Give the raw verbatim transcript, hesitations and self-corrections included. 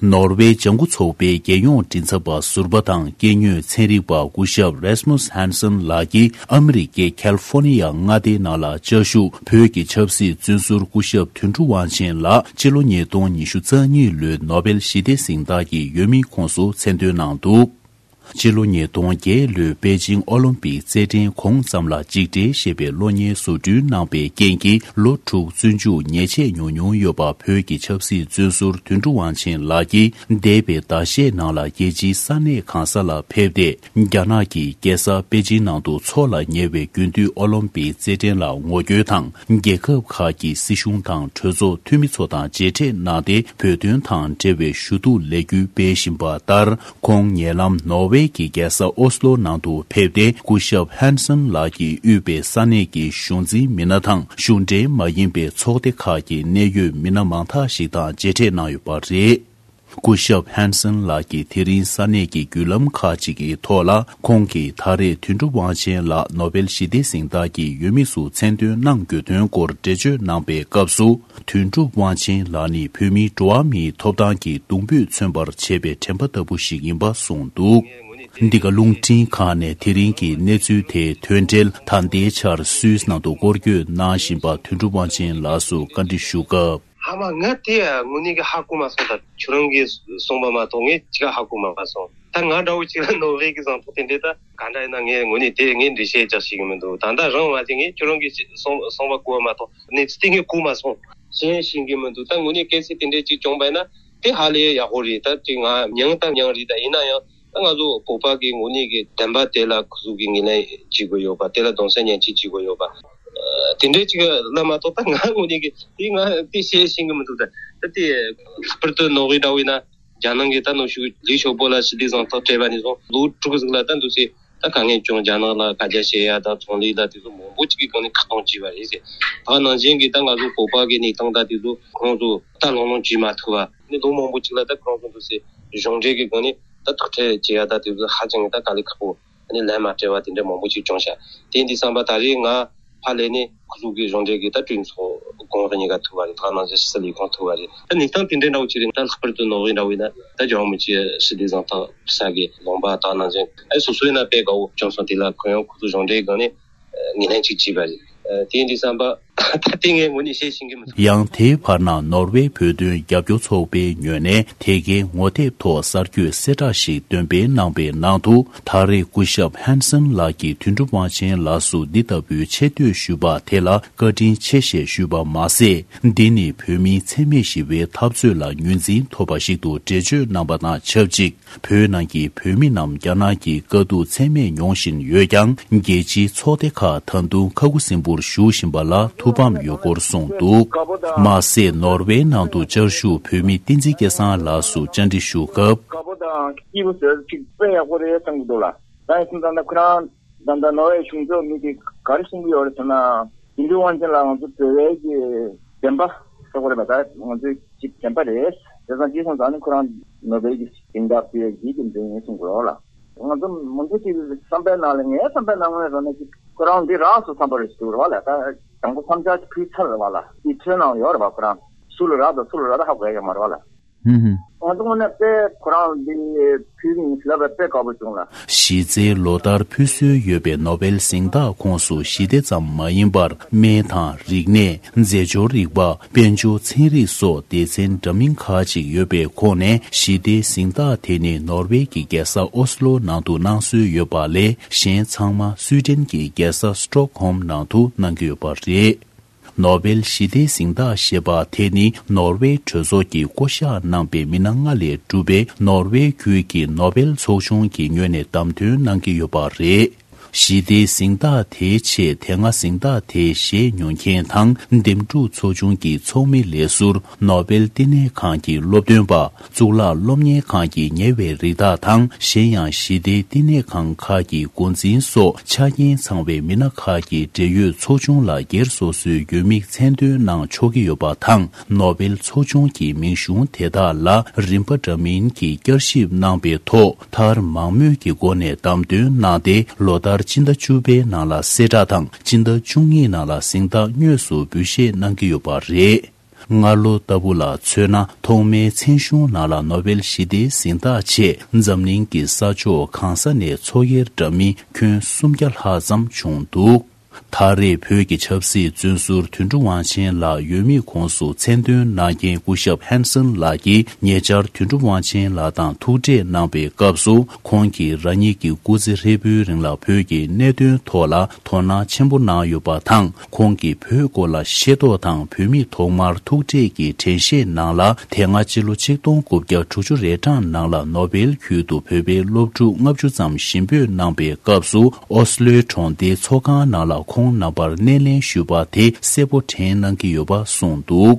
ནོར་ཝེ་ལྗང་ཁུ་ཚོགས་པའི་རྒྱལ་ཡོངས་མགྲིན་ཚབ་པ་ཟུར་པ་དང་སྐྱེས་དངོས་ཚན་རིག་པ་སྐུ་ཞབས་Rasmus Hansson་ལགས་ཀྱིས་ཨ་མི་རི་ཀའི་ཁལ་ཧྥོ་ནི་ཡ་མངའ་སྡེའི་ནང་ལ་བཅའ་བཞུགས་བོད་ཀྱི་ཆབ་སྲིད་བཙོན་ཟུར་སྐུ་ཞབས་དོན་གྲུབ་དབང་ཆེན་ལགས་སྤྱི་ལོ་ཉིས་སྟོང་ཉི་ཤུ་རྩ་གཉིས་ལོའི་ནོ་བེལ་ཞི་བདེ་གཟེངས་རྟགས་ཀྱི་འོས་མི་ཁོངས་སུ་མཚན་འདོན་གནང་འདུག་སྤྱི་ལོ་ཉིས་སྟོང་བརྒྱད་ལོའི་པེ་ཅིང་ཨོ་ལིམ་པིག་རྩེད་འགྲན་གོང་ཙམ་ལ་འཇིགས་བྲལ་ཞེས་པའི་གློག་བརྙན་བཟོ་སྐྲུན་གནང་པའི་རྐྱེན་གྱིས་ལོ་དྲུག་བཙོན་འཇུག་ཉེས་ཆད་མྱོང་མྱོང་ཡོད་པ། བོད་ཀྱི་ཆབ་སྲིད་བཙོན་ཟུར་དོན་གྲུབ་དབང་ཆེན་ལགས་ཀྱིས་འདས་པའི་ཟླ་ཤས་ནང་ལ་རྒྱལ་སྤྱིའི་ས་གནས་གང་ས་ལ་ཕེབས་ཏེ། རྒྱ་ནག་གི་རྒྱལ་ས་པེ་ཅིང་ནང་དུ་འཚོགས་ལ་ཉེ་བའི་དགུན་དུས་ཨོ་ལིམ་པིག་རྩེད་འགྲན་ལ་ངོ་རྒོལ་དང་། རྒྱལ་ཁབ་ཁག་གི་སྲིད་གཞུང་དང་གྲོས་ཚོགས་འཐུས་མི་ཚོ་དང་མཇལ་འཕྲད་གནང་སྟེ། བོད་དོན་དང་འབྲེལ་བའི་ཞུ་གཏུག་ལས་འགུལ་སྤེལ་བཞིན་པ་ལྟར། ཁོང་ཉེ་ལམ་ནོར་ཝེ་གྱི་རྒྱལ་ས་ཨོ་སི་ལོ་ནང་དུ་ཕེབས་ཏེ། སྐུ་ཞབས་ཧན་སན་ལགས་ཀྱིས་དབུས་པའི་ས་གནས་ཀྱི་གཞུང་འཛིན་མི་སྣ་དང་། གཞུང་འབྲེལ་མ་ཡིན་པའི་ཚོགས་སྡེ་ཁག་གི་གནད་ཡོད་མི་སྣ་མང་དག་ཞིག་དང་མཇལ་འཕྲད་གནང་ཡོད་པ་རེད། སྐུ་ཞབས་ཧན་སན་ལགས་ཀྱིས་དེ་རིང་ས་གནས་ཀྱི་བརྒྱུད་ལམ་ཁག་ཅིག་གི་ཐོག་ལ། ཁོང་གིས་ད་རེས་དོན་གྲུབ་དབང་ཆེན་ལགས་ནོ་བེལ་ཞི་བདེ་གཟེངས་རྟགས་ཀྱི་འོས་མི་སུ་མཚན་འདོན་གནང་དགོས་དོན་སྐོར་འགྲེལ་བརྗོད་གནང་པའི་སྐབས་སུ། དོན་གྲུབ་དབང་ཆེན་ལགས་ནི་བོད་མིའི་འགྲོ་བ་མིའི་ཐོབ་ཐང་གི་གདུང་འབོད་མཚོན་པར་བྱེད་པའི་དྲན་པ་ལྟ་བུ་ཞིག་ཡིན་པ་གསུངས་འདུག་འདི་ག་རླུང་འཕྲིན་ཁང་ནས་དེ་རིང་གི་གནས་ཚུལ་དེའི་དོན་འགྲེལ་ད་ལྟའི་ཆར་སུད་སི་ནང་དུ་སྐོར་སྐྱོད་གནང་བཞིན་པ་དོན་གྲུབ་དབང་ཆེན་ལགས་སུ་བཀའ་འདྲི་ཞུ་སྐབས། ཨ་མ། ང་དེ་དངོས་གནས་ཀྱི་ཧ་གོ་མ་སོང་། ད་ཁྱོད་རང་གིས་གསུངས་པ་མ་གཏོགས་ངས་ཅི་ག་ཧ་གོ་མ་སོང་། ད་ང་འདྲ་བོ་ཅིག་ལ་ནོར་ཝེ་གི་གཟེངས་རྟགས་དེ་འདྲས་ད་ག་འདྲ་ཡིན་ན། ངས་དངོས་གནས་དེ་ངས་འགྲེལ་བཤད་རྒྱག་ཤེས་ཀྱི་མི་འདུག་ད་ལྟ་རང་མ་དེ་ངས་ཁྱོད་རང་གིས་གསུངས་གསུངས་པ་གོ་བ་མ་གཏོགས་གནས་ཚུལ་དེ་ངས་གོ་མ་སོང་། ཤེས་ཤེས་ཀྱི་མི་འདུག་ད་དངོས་གནས་གལ་སྲིད་དེ་འདྲས་ཅིག་བྱུང་པ་ཡིན་ན་དེ་ཧ་ལས་ཡག་པོ་རེད། ད་དེ་ང་མྱངས་ད་མྱངས་རེད། ད་ཡིན་ན་ཡང་། ད་ང་ཚོ་བོད་པ་གི་དངོས་གནས་ཀྱི་བདེན་པ་དེ་ལ་ཁོ་ཚོ་གི་ངོས་ལེན་བྱེད་དགོས་ཡོད་པ། དེ་ལ་གདུང་སེམས་མཉེན་ཆས་བྱེད་དགོས་ཡོད་པ། ཨ། དེ་འདྲའི་ཅིག་ལ་མ་གཏོགས་ད་ང་དངོས་གནས་ཀྱི་དེ་ང་དེ་བཤད་ཤེས་ཀྱི་མི་འདུག་ད་ད་དེ་ལྷག་པར་དུ་ནོར་ཝེ་འདྲ་བོ་ཡིན་ན། རྒྱ་ནག་གིས་ད་ནུབ་ཕྱོགས་ལི་ཞའོ་པོ་ལ་ཞི་བདེ་གཟེངས་རྟགས་སྤྲད་པ་ནས་བཟུང་ལོ་དྲུག་ཟིག་ལ་ད་འདུག་སེ་ད་དཀའ་ངལ་བྱུང་། རྒྱ་ནག་ལ་དཀའ་སྤྱད་བྱེད་ཡ་ད་ཚོང་ལས་ལ་དེ་ཚོ་མང་པོ་ཅིག་གི་སྒང་ནས་ཁ་གཏོང་བྱས་པ་རེད་ཟེར། ད་ནང་བཞིན་གྱི་ད་ང་ཚོ་བོད་པ་གི་གནས་སྟངས་ད་དེ་ཚོ་ཁོང་ཚོ་ད་ལོང་ལོང་བྱེད་མ་ཐུབ་པ། ནི་ལོ་མང་པོ་ཅིག་ལ་ད་ཁོང་ཚོ་འདུག་སེ་གཞུང་འབྲེལ་གྱི་སྒང་ནས་ད་ཐུག་འཕྲད་བྱེད་ཡ་ད་དེ་ཚོ་ཧ་ཅང་གི་ད་དཀའ་ལས་ཁག་པོ། ཨ་ནི་ལན་མ་སྤྲད་པ་དེ་འདྲ་མང་པོ་ཅིག་བྱུང་ཤག་དེ་འདི་བསམ་པ་ད་རེས་ང་ཕར་ལས་ནས་ཁོ་ཚོ་གི་གཞུང་འབྲེལ་གྱི་ད་གྲོས་ཚོགས་གོང་རུ་གཉིས་ཀ་ཐུག་པ་རེད། ད་ནང་བཞིན་ཕྱི་སྲིད་ལས་ཁུངས་ཐུག་པ་རེད། ད་གནས་སྟངས་དེ་འདྲ་འདྲ་བོ་ཅིག་རེད། ད་ལྷག་པར་དུ་ནོར་ཝེ་འདྲ་བོ་ཡིན་ན་ད་རྒྱལ་བ་རིན་པོ་ཆེ་ཞི་བདེ་གཟེངས་རྟགས་ཕུལ་ས་གི་ལུང་པ་དག་ནང་བཞིན། ཨ་སོ་སོ་ཡིན་ན་དཔེ་དགའ་བོ་བྱུང་སོང་། དེ་ལ་ཁོ་ཡང་ཁོ་ཚོ་གཞུང་འབྲེལ་སྒང་ནས་ངོས་ལེན་ཅིག་བྱས་པ་རེད། དེ་འདི་བསམ་པ་ད་དེ་ངས་དངོས་གནས་བཤད་ཤེས་ཀྱི་མི་འདུག་ཡང་དེའི་བར་ན་ནོར་ཝེ་བོད་དོན་རྒྱབ་སྐྱོར་ཚོགས་པའི་ངོས་ནས་དེ་གའི་ངོ་དེབ་ཐོག་གསར་འགོད་གསལ་བསྒྲགས་ཤིག་འདོན་སྤེལ་གནང་པའི་ནང་དུ། ད་རེས་སྐུ་ཞབས་ཧན་སན་ལགས་ཀྱིས་དོན་གྲུབ་དབང་ཆེན་ལགས་སུ་འདི་ལྟ་བུའི་ཆེ་བསྟོད་ཞུས་པ་དེ་ལ་བཀའ་དྲིན་ཆེ་ཞེས་ཞུས་པ་མ་ཟད། འདི་ནི་བོད་མིའི་འཚེ་མེད་ཞི་བའི་འཐབ་རྩོད་ལ་ངོས་འཛིན་ཐོབ་པ་ཞིག་ཏུ་འགྲེལ་བརྗོད་གནང་པ་དང་ཆབས་ཅིག་བོད་ནང་གི་བོད་མི་རྣམས་རྒྱ་ནག་གི་དཀའ་སྡུག་ཚད་མེད་མྱོང་བཞིན་ཡོད་ཀྱང་། རྒྱལ་སྤྱིའི་ཚོགས་སྡེ་ཁག་ད་དུང་ཁ་ཁུ་སིམ་པོར་བཞུགས་བཞིན་པ་ལ་ཐུགས་ཕམ་ཡོད་སྐོར་གསུངས་འདུག་མ་ཟད། ནོར་ཝེ་ནང་དུ་བཅའ་བཞུགས་བོད་མི་བསྟན་འཛིན་སྐལ་བཟང་ལགས་སུ་བཅར་འདྲི་ཞུ་སྐབས། དཀར་པོ་དང་སྐྱིད་པོ་ཟེར་ཅིག་དཔེ་ཡག་པོ་རེད་བསམ་གྱི་འདུག་ལ། ད་ཡིན་ཙང་ད་ཁོ་རང་ད་ལྟ་ནོར་ཝེ་གཞུང་ཚབ་མི་དེ་ག་རེ་གསུང་གི་ཡོད་རེད་ཟེར་ན། དོན་གྲུབ་དབང་ཆེན་ལགས་ང་ཚོ་བོད་པའི་གི་བདེན་པ་ཟེར་དགོས་རེད་པ། ད་ང་ཚོའི་གཅིག་བདེན་པ་རེད། བྱས་ཙང་ཅི་སོང་ཙང་ནི་ཁོ་རང་ནོ་བེལ་གྱི་གཟེངས་རྟགས་ཕུལ་ཡག་གི་རྒྱུ་མཚན་ཡིན་གསུང་གི་རེད་པ་ལ། ང་ཚོ་མང་པོ་ཅིག་བསམ་པའི་ནང་ལ། ངའི་བསམ་པའི་ནང་ལ་རེད་ན་ཅིག་ཁོ་རང་འདི་རག་སོང་བསམ་པ་རེད་ཟེར་གི་རེད་པ་ལ། ད་དང་པོ་བསམ་འཆར་ཅིག་ཕུལ་ཚར་རེད་པ་ལ། དེ་ཁྲོད་ནང་ཡོད་རེད་པ། ཁོ་རང་སུ་ལ་རག་དང་སུ་ལ་རག་ད་ཧ་གོ་ཡག་མ་རེད་པ་ལ། ཧུམ་ཧུམ། ང་ཚོ་དངོས་གནས་དཔེ་ཁོ་རང་འདི་ཕུལ་གི་ཡིན་ལབ་པ་དཔེ་དགའ་པོ་བྱུང་ལ། གཞི་རྩའི་ལོ་ལྟར་ཕུལ་སྲོལ་ཡོད་པའི་ནོ་བེལ་གཟེངས་རྟགས་ཁོངས་སུ་ཞི་བདེ་ཙམ་མ་ཡིན་པར། སྨན་དང་རིག་གནས། རྫས་སྦྱོར་རིག་པ། དཔལ་འབྱོར། ཚན་རིག་སོགས་སྡེ་ཚན་འདྲ་མིན་ཁག་ཅིག་ཡོད་པའི་ཁོངས་ནས། ཞི་བདེའི་གཟེངས་རྟགས་དེ་ནི་ནོར་ཝེ་གི་རྒྱལ་ས་ཨོ་སི་ལོ་ནང་དུ་གནང་སྲོལ་ཡོད་པ་ལས། གཞན་ཚང་མ་སུའི་ཌེན་གྱི་རྒྱལ་ས་སི་ཊོག་ཧོམ་ནང་དུ་གནང་གི་ཡོད་པ་རེད། ནོ་བེལ་ཞི་བདེའི་གཟེངས་རྟགས་ཞེས་པ་དེ་ནི་ནོར་ཝེ་གྲོས་ཚོགས་ཀྱིས་བསྐོ་གཞག་གནང་པའི་མི་སྣ་ལྔ་ལས་གྲུབ་པའི་ནོར་ཝེ་ཁུལ་གྱི་ནོ་བེལ་ཚོགས་ཆུང་གི་ངོས་ནས་བདམས་ཐོན་གནང་གི་ཡོད་པ་རེད། ཞི་བདེའི་གཟེངས་རྟགས་དེའི་ཆེད་དེ་སྔ་གཟེངས་རྟགས་དེ་བཞེས་མྱོང་མཁན་དང་། འདེམས་སྒྲུག་ཚོགས་ཆུང་གི་ཚོགས་མི་ལས་ཟུར། ནོ་བེལ་བསྟི་གནས་ཁང་གི་སློབ་སྟོན་པ། གཙུག་ལག་སློབ་གཉེར་ཁང་གི་ཉེ་བའི་རིགས་དག་དང་། གཞན་ཡང་ཞི་བདེའི་བསྟི་གནས་ཁང་ཁག་གི་འགོ་འཛིན་སོགས་ཆ་རྐྱེན་ཚང་བའི་མི་སྣ་ཁག་གིས་འབྲེལ་ཡོད་ཚོགས་ཆུང་ལ་སྒེར་སོ་སོའི་འོས་མིག་མཚན་འདོན་གནང་ཆོག་གི་ཡོད་པ་དང་། ནོ་བེལ་ཚོགས་ཆུང་གི་མིང་གཞུང་དེ་དག་ལ་རིམ་པ་འདྲ་མིན་གྱི་བསྐྱར་ཞིབ་གནང་པའི་ཐོག་མཐར་མང་མོས་ཀྱི་སྒོ་ནས་བདམས་ཐོན་གནང་སྟེ། ལོ་ལྟར་སྤྱི་ཟླ་བཅུ་པའི་ནང་ལ་གསལ་བསྒྲགས་དང་། སྤྱི་ཟླ་བཅུ་གཉིས་ནང་ལ་གཟེངས་རྟགས་དངོས་སུ་འབུལ་བཞེས་གནང་གི་ཡོད་པ་རེད། སྔ་ལོ་ལྟ་བུ་ལ་མཚོན་ན། ཐོག་མའི་མཚན་གཞུང་ནང་ལ་ནོ་བེལ་ཞི་བདེའི་གཟེངས་རྟགས་ཆེད་འཛམ་གླིང་གི་ས་ཕྱོགས་གང་ས་ནས་འཚོ་གཡེར་འདྲ་མིན་ཁྱོན་སུམ་བརྒྱ་ལྷག་ཙམ་བྱུང་འདུག་ད་རེས་བོད་ཀྱི་ཆབ་སྲིད་བཙོན་ཟུར་དོན་གྲུབ་དབང་ཆེན་ལགས་ཡོད་མེད་ཁོངས་སུ་མཚན་འདོན་གནང་མཁན་སྐུ་ཞབས་ཧན་སན་ལགས་ཀྱིས་ཉེ་ཆར་དོན་གྲུབ་དབང་ཆེན་ལགས་དང་ཐུག་འཕྲད་གནང་པའི་སྐབས་སུ། ཁོང་གིས་རང་ཉིད་ཀྱི་སྐུ་ཚེ་ཧྲིལ་པོའི་རིང་ལ་བོད་ཀྱི་གནད་དོན་ཐོག་ལ་དོ་སྣང་ཆེན་པོ་གནང་ཡོད་པ་དང་། ཁོང་གིས་བོད་སྐོར་ལ་ཤེས་རྟོགས་དང་། བོད་མིས་ཐོག་མར་ཐུག་འཕྲད་ཀྱི་དྲན་ཤེས་ནང་ལ། དེ་སྔ་ཕྱི་ལོ་ཆིག་སྟོང་དགུ་བརྒྱ་དྲུག་ཅུ་རེ་གྲངས་ནང་ལ་ནོ་བེལ་ཁུལ་དུ་བོད་པའི་སློབ་ཕྲུག་ལྔ་བཅུ་ཙམ་ཞིང་ཕེབས་གནང་པའི་སྐབས་སུ། ཨོ་སི་ལོའི་གྲོང་སྡེའི་ཚོགས་ཁང་ནང་ལ་ཁོང་རྣམ་པར་སྣེ་ལེན་ཞུས་པ་དེ་གསལ་པོ་དྲན་གནང་གི་ཡོད་པ་གསུངས་འདུག